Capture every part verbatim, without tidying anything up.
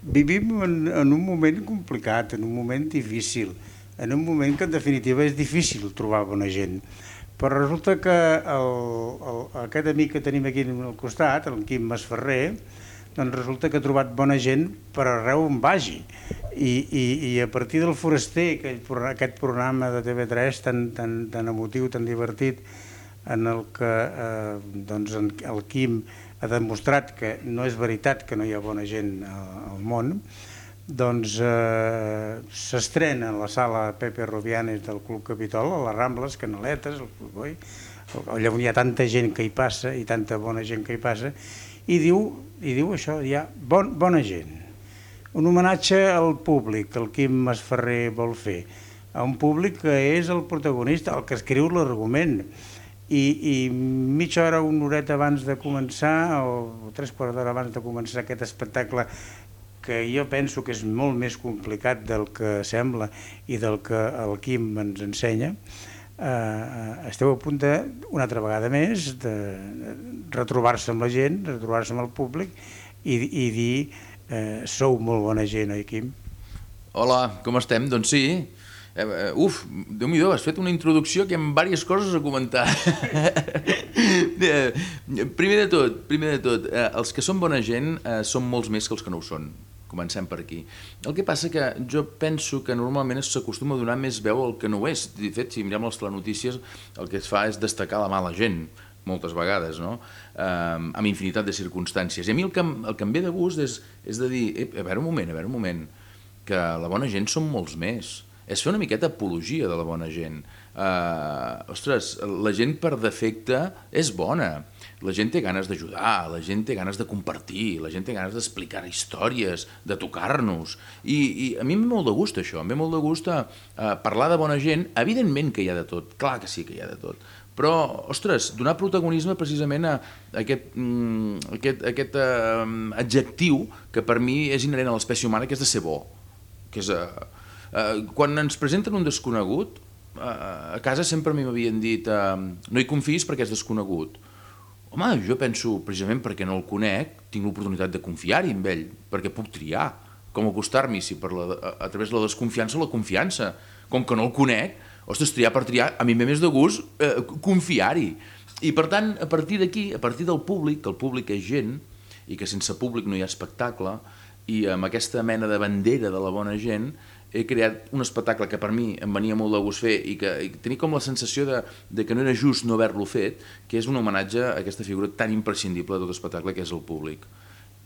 vivim en, en un moment complicat, en un moment difícil, en un moment que en definitiva és difícil trobar bona gent. Però resulta que el, el, aquest amic que tenim aquí al costat, el Quim Masferrer, doncs resulta que ha trobat bona gent per arreu on vagi. I, i, i a partir del Foraster, aquell, aquest programa de T V tres tan, tan, tan emotiu, tan divertit, en el que eh, doncs el Quim ha demostrat que no és veritat que no hi ha bona gent al món, doncs eh, s'estrena a la sala Pepe Rubianes del Club Capitol, a les Rambles, Canaletes, el Club Boi, allà on hi ha tanta gent que hi passa i tanta bona gent que hi passa, i diu, i diu això, hi ha bon, bona gent. Un homenatge al públic que el Quim Masferrer vol fer, a un públic que és el protagonista, el que escriu l'argument. I, i mitja hora, una horeta abans de començar, o tres quarts d'hora abans de començar aquest espectacle, que jo penso que és molt més complicat del que sembla i del que el Quim ens ensenya, eh, esteu a punt de, una altra vegada més, de retrobar-se amb la gent, retrobar-se amb el públic i, i dir eh, sou molt bona gent, oi, Quim? Hola, com estem? Doncs sí. Uh, uf, Déu-n'hi-do, has fet una introducció que hi ha diverses coses a comentar. primer de tot, primer de tot uh, els que són bona gent uh, són molts més que els que no ho són. Comencem per aquí. El que passa que jo penso que normalment s'acostuma a donar més veu al que no ho és. De fet, si mirem les telenotícies, el que es fa és destacar la mala gent, moltes vegades, no? Um, amb infinitat de circumstàncies. I a mi el que, el que em ve de gust és, és de dir, a veure un moment, a veure un moment, que la bona gent són molts més. És fer una miqueta apologia de la bona gent. Uh, ostres, la gent per defecte és bona. La gent té ganes d'ajudar, la gent té ganes de compartir, la gent té ganes d'explicar històries, de tocar-nos. I, I a mi em ve molt de gust això, em ve molt de gust a, a parlar de bona gent. Evidentment que hi ha de tot, clar que sí que hi ha de tot. Però, ostres, donar protagonisme precisament a aquest, mm, aquest, aquest uh, adjectiu que per mi és inherent a l'espècie humana, que és de ser bo, que és... Uh, Uh, quan ens presenten un desconegut, uh, a casa sempre a mi m'havien dit uh, no hi confiïs perquè és desconegut. Home, jo penso, precisament perquè no el conec, tinc l'oportunitat de confiar-hi amb ell, perquè puc triar com acostar-m'hi, si per la, a, a través de la desconfiança o la confiança. Com que no el conec, ostres, triar per triar, a mi em ve més de gust uh, confiar-hi. I per tant, a partir d'aquí, a partir del públic, que el públic és gent, i que sense públic no hi ha espectacle, i amb aquesta mena de bandera de la bona gent, he creat un espectacle que per mi em venia molt de gust fer i que i tenia com la sensació de, de que no era just no haver-lo fet, que és un homenatge a aquesta figura tan imprescindible de tot l'espectacle que és el públic.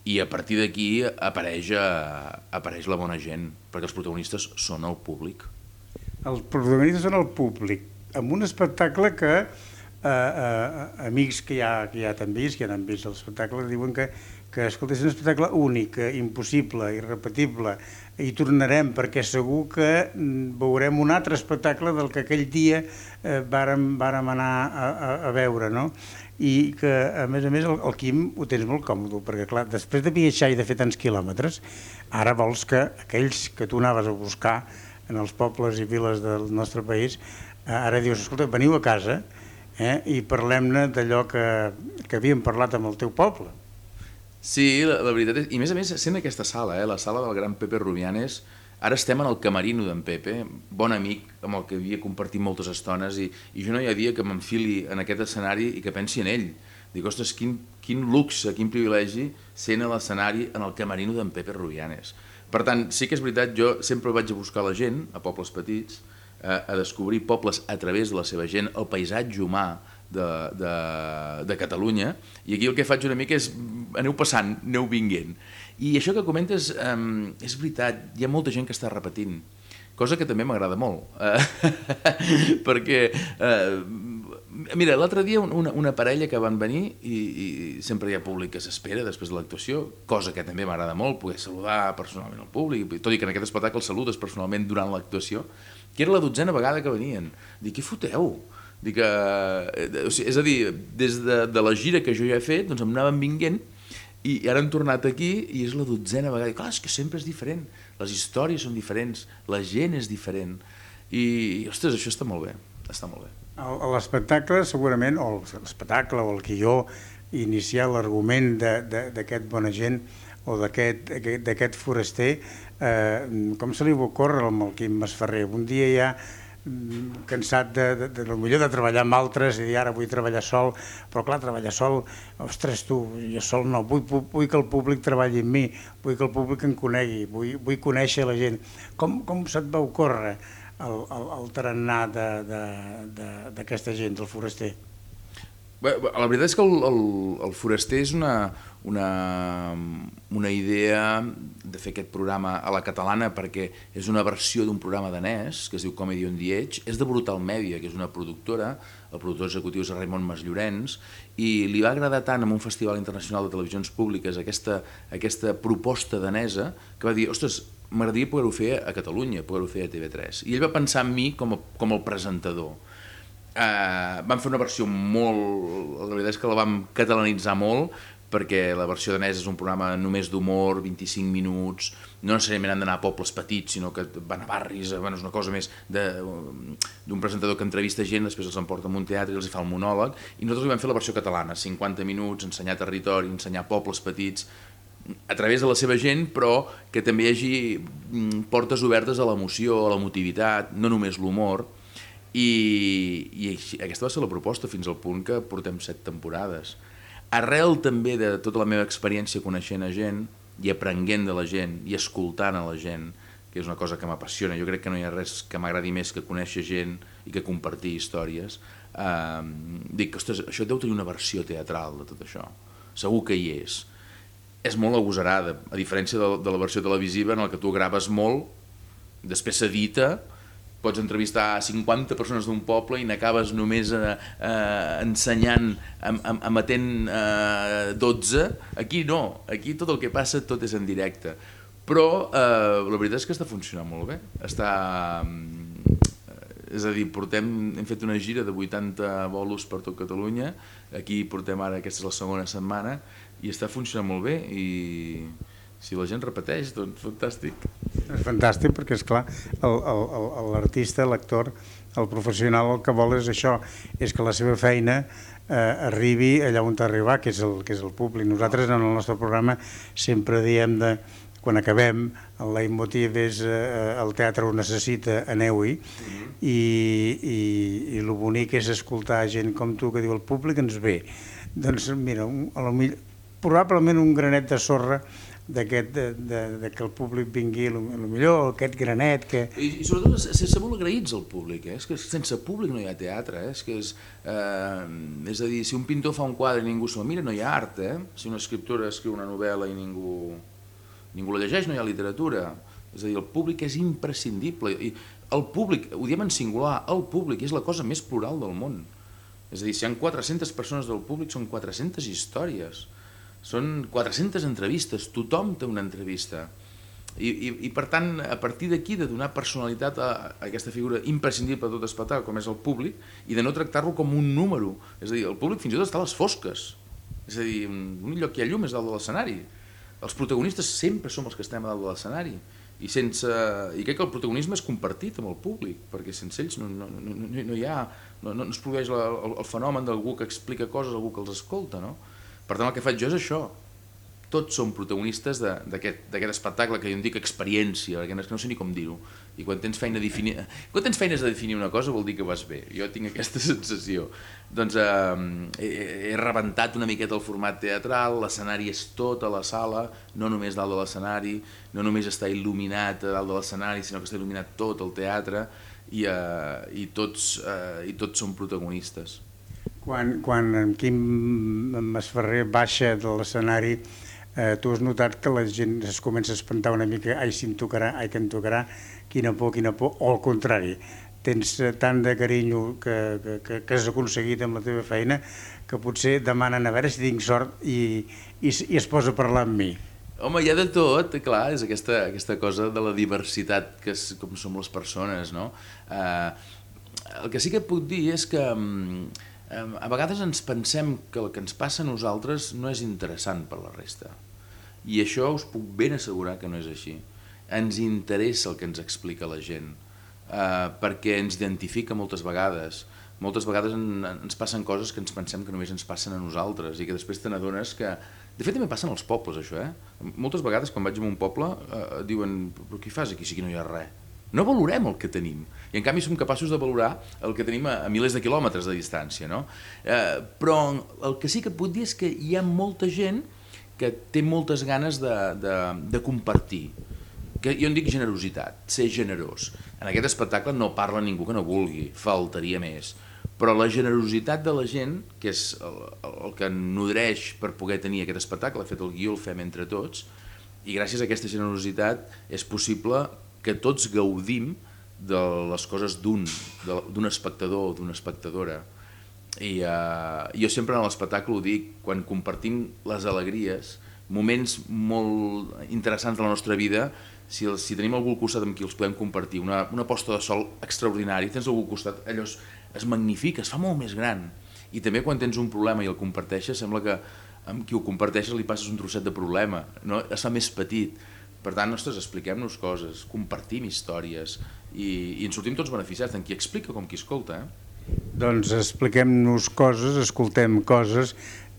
I a partir d'aquí apareix, apareix la bona gent, perquè els protagonistes són el públic. Els protagonistes són el públic, amb un espectacle que eh, eh, amics que ja, que ja t'han vist, que ja han vist l'espectacle, diuen que, que escolta, és un espectacle únic, impossible, irrepetible. Hi tornarem perquè segur que veurem un altre espectacle del que aquell dia eh, vàrem, vàrem anar a, a, a veure, no? I que, a més a més, el, el Quim ho tens molt còmode, perquè, clar, després de viatjar i de fer tants quilòmetres, ara vols que aquells que tu anaves a buscar en els pobles i viles del nostre país, eh, ara dius, escolta, veniu a casa eh, i parlem-ne d'allò que, que havíem parlat amb el teu poble. Sí, la, la veritat és... I a més a més, sent aquesta sala, eh, la sala del gran Pepe Rubianes, ara estem en el camerino d'en Pepe, bon amic amb el que havia compartit moltes estones, i, i jo no hi ha dia que m'enfili en aquest escenari i que pensi en ell. Dic, ostres, quin, quin luxe, quin privilegi sent a l'escenari en el camerino d'en Pepe Rubianes. Per tant, sí que és veritat, jo sempre vaig a buscar la gent, a pobles petits, a, a descobrir pobles a través de la seva gent, el paisatge humà de, de, de Catalunya, i aquí el que faig una mica és aneu passant, aneu vinguent. I això que comentes um, és veritat, hi ha molta gent que està repetint, cosa que també m'agrada molt, uh, perquè uh, mira, l'altre dia una, una parella que van venir i, i sempre hi ha públic que s'espera després de l'actuació, cosa que també m'agrada molt, poder saludar personalment al públic, tot i que en aquest espectacle saludes personalment durant l'actuació, que era la dotzena vegada que venien. Dic, què foteu? Dic, eh, o sigui, és a dir, des de, de la gira que jo ja he fet, doncs em anaven vinguent i ara han tornat aquí i és la dotzena vegada. Dic, clar, és que sempre és diferent, les històries són diferents, la gent és diferent i, ostres, això està molt bé, està molt bé. L'espectacle segurament, o l'espectacle o el guió inicial, l'argument d'aquest bona gent, o d'aquest foraster, com se li va ocórrer amb el Quim Masferrer? Un dia ja cansat de, de, de, de, millor de treballar amb altres i dir ara vull treballar sol, però clar, treballar sol, ostres tu, jo sol no, vull, vull que el públic treballi amb mi, vull que el públic em conegui, vull, vull conèixer la gent. Com, com se't va ocórrer el, el, el tarannà d'aquesta gent, del foraster? Bé, la veritat és que el, el, el foraster és una, una, una idea de fer aquest programa a la catalana, perquè és una versió d'un programa danès que es diu Comedy on the Edge, és de Brutal Media, que és una productora, el productor executiu és Raimon Masllorens, i li va agradar tant en un festival internacional de televisions públiques aquesta, aquesta proposta danesa, que va dir, ostres, m'agradaria poder-ho fer a Catalunya, poder-ho fer a T V tres. I ell va pensar en mi com a, com el presentador. Uh, vam fer una versió molt... La veritat és que la vam catalanitzar molt, perquè la versió danesa és un programa només d'humor, vint-i-cinc minuts, no necessàriament han d'anar a pobles petits, sinó que van a barris, bueno, és una cosa més d'un presentador que entrevista gent, després els emporta a un teatre i els fa el monòleg, i nosaltres li vam fer la versió catalana, cinquanta minuts, ensenyar territori, ensenyar pobles petits, a través de la seva gent, però que també hi hagi portes obertes a l'emoció, a l'emotivitat, no només l'humor. I, i aquesta va ser la proposta fins al punt que portem set temporades. Arrel també de tota la meva experiència coneixent a gent i aprenent de la gent i escoltant a la gent, que és una cosa que m'apassiona, jo crec que no hi ha res que m'agradi més que conèixer gent i que compartir històries, eh, dic, ostres, això deu tenir una versió teatral de tot això, segur que hi és. És molt agosarada, a diferència de, de la versió televisiva en la que tu graves molt, després s'edita, pots entrevistar cinquanta persones d'un poble i n'acabes només eh, eh, ensenyant, emetent eh, dotze. Aquí no, aquí tot el que passa tot és en directe. Però eh, la veritat és que està funcionant molt bé. Està, eh, és a dir, portem, hem fet una gira de vuitanta bolos per tot Catalunya, aquí portem ara, aquesta és la segona setmana, i està funcionant molt bé i... Si la gent repeteix, doncs fantàstic. És fantàstic perquè, esclar, l'artista, l'actor, el professional el que vol és això, és que la seva feina eh, arribi allà on t'arriba, que és el, que és el públic. Nosaltres en el nostre programa sempre diem de, quan acabem, el leitmotiv és eh, el teatre ho necessita, aneu-hi, mm-hmm. i, i, i el bonic és escoltar gent com tu que diu el públic ens ve. Doncs mira, un, a lo millor, probablement un granet de sorra d'aquest, de, de, de que el públic vingui, potser aquest granet que... I, i sobretot ser molt agraïts al públic, eh? És que sense públic no hi ha teatre, eh? És, que és, eh, és a dir, si un pintor fa un quadre i ningú s'ho mira, no hi ha art, eh? Si una escriptora escriu una novel·la i ningú, ningú la llegeix, no hi ha literatura. És a dir, el públic és imprescindible. I el públic, ho diem en singular, el públic és la cosa més plural del món. És a dir, si hi ha quatre-centes persones del públic, són quatre-centes històries. Són quatre-centes entrevistes, tothom té una entrevista. I, i, i per tant, a partir d'aquí, de donar personalitat a, a aquesta figura imprescindible de tot espectacle, com és el públic, i de no tractar-lo com un número. És a dir, el públic fins i tot està a les fosques. És a dir, l'únic lloc que hi ha llum és dalt de l'escenari. Els protagonistes sempre som els que estem a dalt de l'escenari. I, sense, I crec que el protagonisme és compartit amb el públic, perquè sense ells no, no, no, no, no hi ha, no, no es produeix la, el, el fenomen d'algú que explica coses, algú que els escolta, no? Per tant, el que faig jo és això. Tots som protagonistes d'aquest espectacle que jo en dic experiència, perquè no sé ni com dir-ho. I quan tens feina definir... quan tens feines de definir una cosa vol dir que vas bé. Jo tinc aquesta sensació. Doncs eh, he, he rebentat una miqueta el format teatral, l'escenari és tot a la sala, no només dalt de l'escenari, no només està il·luminat a dalt de l'escenari, sinó que està il·luminat tot el teatre i, eh, i, tots, eh, i tots som protagonistes. Quan, quan en Quim Masferrer baixa de l'escenari, eh, tu has notat que la gent es comença a espantar una mica, ai, si em tocarà, ai, que em tocarà, quina por, quina por, o al contrari, tens tant de carinyo que, que, que has aconseguit amb la teva feina que potser demanen a veure si tinc sort i, i, i es posa a parlar amb mi. Home, hi ha de tot, clar, és aquesta, aquesta cosa de la diversitat que és, com som les persones, no? Eh, el que sí que puc dir és que a vegades ens pensem que el que ens passa a nosaltres no és interessant per la resta. I això us puc ben assegurar que no és així. Ens interessa el que ens explica la gent, eh, perquè ens identifica moltes vegades, moltes vegades en, ens passen coses que ens pensem que només ens passen a nosaltres i que després te n'adones que... De fet, també passen als pobles, això, eh? Moltes vegades, quan vaig a un poble, eh, diuen, però què fas aquí si aquí no hi ha res? No valorem el que tenim. I en canvi som capaços de valorar el que tenim a, a milers de quilòmetres de distància, no? Eh, però el que sí que puc dir és que hi ha molta gent que té moltes ganes de, de, de compartir. Que jo en dic generositat, ser generós. En aquest espectacle no parla ningú que no vulgui, faltaria més. Però la generositat de la gent, que és el, el que nodreix per poder tenir aquest espectacle, de fet el guió el fem entre tots, i gràcies a aquesta generositat és possible que tots gaudim de les coses d'un, d'un espectador o d'una espectadora. I uh, jo sempre en l'espectacle ho dic, quan compartim les alegries, moments molt interessants de la nostra vida, si, el, si tenim algú al costat amb qui els podem compartir, una, una posta de sol extraordinari, tens algú al costat, allò es, es magnifica, es fa molt més gran. I també quan tens un problema i el comparteixes, sembla que amb qui ho comparteixes li passes un trosset de problema, no? Es fa més petit. Per tant, ostres, expliquem-nos coses, compartim històries i, i ens sortim tots beneficiats, tant qui explica com qui escolta. Eh? Doncs expliquem-nos coses, escoltem coses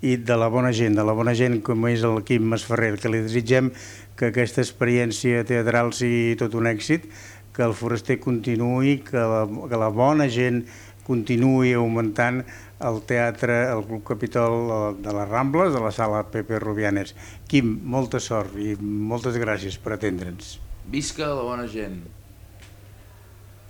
i de la bona gent, de la bona gent com és el Quim Masferrer, que li desitgem que aquesta experiència teatral sigui tot un èxit, que el Foraster continuï, que la, que la bona gent continuï augmentant el teatre, el Club Capitol de les Rambles, de la sala Pepe Rubianes. Quim, molta sort i moltes gràcies per atendre'ns. Visca la bona gent!